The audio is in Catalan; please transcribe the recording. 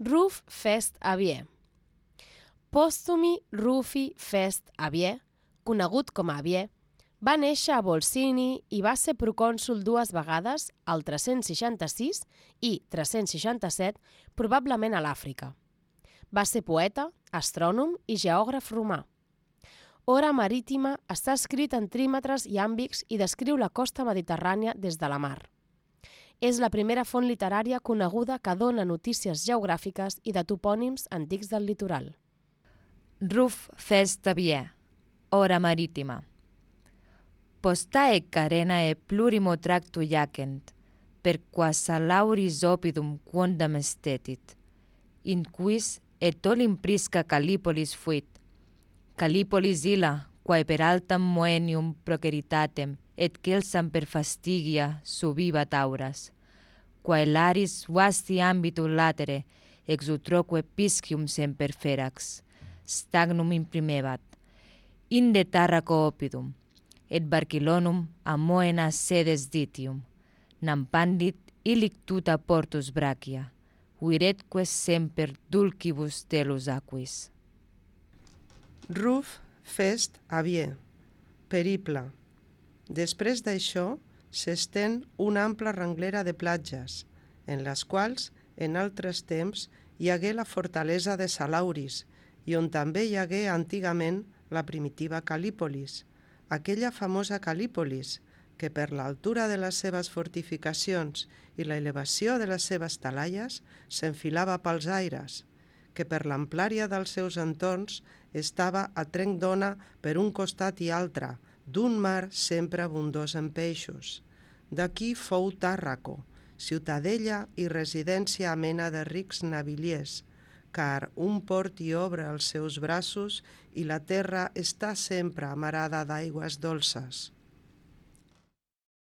Ruf Fest Avier. Postumi Rufi Fest Avier, conegut com a Avier, va néixer a Volsini i va ser procònsol 2 vegades, al 366 i 367, probablement a l'Àfrica. Va ser poeta, astrònom i geògraf romà. Hora Marítima està escrit en trímetres iàmbics i descriu la costa mediterrània des de la mar. És la primera font literària coneguda que dona notícies geogràfiques i de topònims antics del litoral. Ruf Fest Avier, Hora Marítima. Postae carenae plurimo tractu iacent, per quas lauris opidum quondam estetit, in quis et olim prisca Callipolis fuit. Callipolis illa, quae per altam moenium proceritatem et celsam per fastigia subivat auras, quae laris vasti ambitu latere ex utroque piscium semper ferax, stagnum imprimebat, inde Tarraco opidum, et Barcillonum a moena sedes ditium, nam pandit illic tuta portus brachia, viretque semper dulcibus telus aquis. Ruf Fest Avier, periple. Després d'això, s'estén una ampla renglera de platges, en les quals, en altres temps, hi hagué la fortalesa de Salauris, i on també hi hagué antigament la primitiva Cal·lípolis, aquella famosa Cal·lípolis, que per l'altura de les seves fortificacions i la elevació de les seves talaies s'enfilava pels aires, que per l'amplària dels seus entorns estava a trenc d'ona per un costat i altre, d'un mar sempre abundós en peixos. D'aquí fou Tàrraco, ciutadella i residència amena de rics naviliers, car un port hi obre els seus braços i la terra està sempre amarada d'aigües dolces.